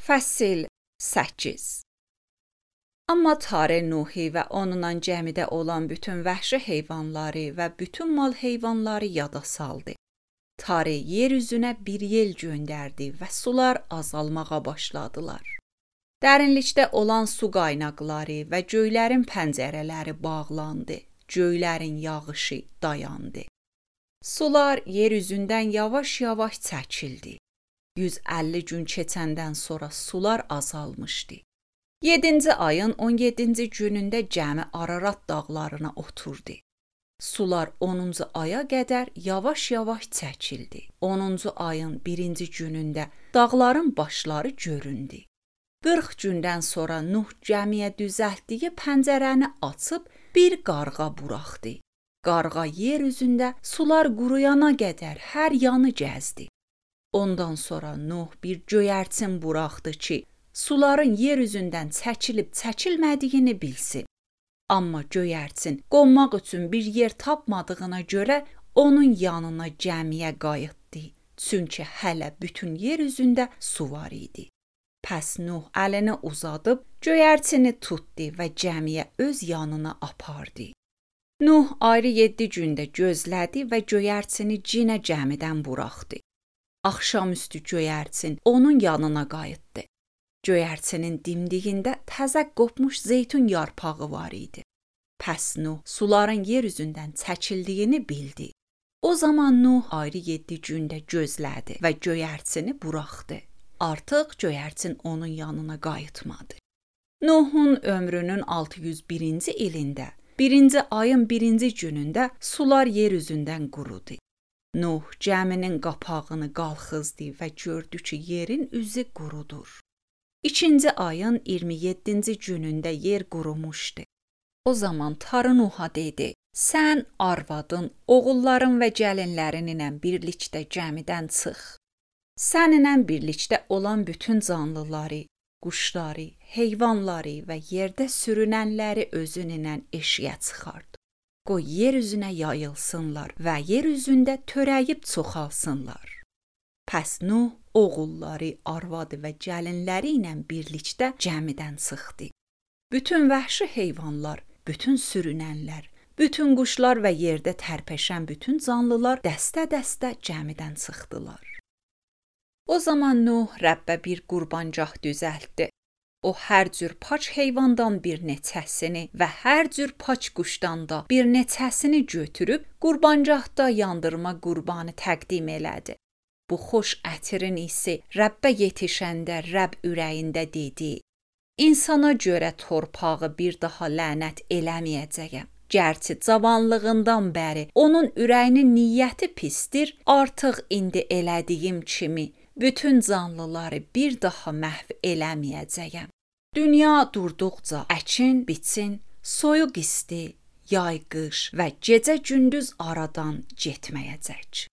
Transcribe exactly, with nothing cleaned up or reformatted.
Fəsil səkkiz. Amma Tare Nuhi və onunla cəmidə olan bütün vəhşi heyvanları və bütün mal heyvanları yada saldı. Tare yer üzünə bir yel göndərdi və sular azalmağa başladılar. Dərinlikdə olan su qaynaqları və göylərin pəncərələri bağlandı. Göylərin yağışı dayandı. Sular yer üzündən yavaş-yavaş çəkildi. yüz əlli gün keçəndən sonra sular azalmışdı. yedinci ayın on yeddinci günündə cəmi Ararat dağlarına oturdu. Sular onuncu aya qədər yavaş-yavaş çəkildi. onuncu ayın birinci günündə dağların başları göründü. qırx gündən sonra Nuh cəmiyə düzəltdiyi pəncərəni açıb bir qarğa buraxdı. Qarğa yer üzündə sular quruyana qədər hər yanı gəzdi. Ondan sonra Nuh bir göyərçin buraxdı ki, suların yer üzündən çəkilib çəkilmədiyini bilsin. Amma göyərçin qonmaq üçün bir yer tapmadığına görə onun yanına cəmiyə qayıtdı. Çünki hələ bütün yer üzündə su var idi. Pəs Nuh əlini uzadıb göyərçini tutdu və cəmiyə öz yanına apardı. Nuh ayrı yeddi gündə gözlədi və göyərçini cinə cəmidən buraxdı. Axşamüstü göyərçin onun yanına qayıtdı. Göyərçinin dimdiyində təzə qopmuş zeytun yarpağı var idi. Pəs Nuh suların yer üzündən çəkildiyini bildi. O zaman Nuh ayrı yeddi gündə gözlədi və göyərçini buraxdı. Artıq göyərçin onun yanına qayıtmadı. Nuhun ömrünün altı yüz birinci ilində, birinci ayın birinci günündə sular yer üzündən qurudu. Nuh cəminin qapağını qalxızdı və gördü ki, yerin üzü qurudur. İkinci ayın iyirmi yeddinci günündə yer qurumuşdu. O zaman Tare Nuha dedi, sən arvadın, oğulların və gəlinlərin ilə birlikdə cəmidən çıx. Səninlə birlikdə olan bütün canlıları, quşları, heyvanları və yerdə sürünənləri özün ilə eşiyə çıxart. Qoy yer üzünə yayılsınlar və yer üzündə törəyib çoxalsınlar. Pəs Nuh oğulları, arvadı və gəlinləri ilə birlikdə cəmidən çıxdı. Bütün vəhşi heyvanlar, bütün sürünənlər, bütün quşlar və yerdə tərpəşən bütün canlılar dəstə-dəstə cəmidən çıxdılar. O zaman Nuh Rəbbə bir qurbancaq düzəltdi. O hər cür paç heyvandan bir neçəsini və hər cür paç quşdan da bir neçəsini götürüb qurbancaqda yandırma qurbanı təqdim elədi. Bu xoş ətirin isi Rəbbə yetişəndə Rəbb ürəyində dedi: İnsana görə torpağı bir daha lənət eləməyəcəyəm. Gərçi cavanlığından bəri onun ürəyinin niyyəti pisdir, artıq indi elədiyim kimi bütün canlıları bir daha məhv eləməyəcəyəm. Dünya durduqca əkin, biçin, soyuq isti, yay qış və gecə gündüz aradan getməyəcək.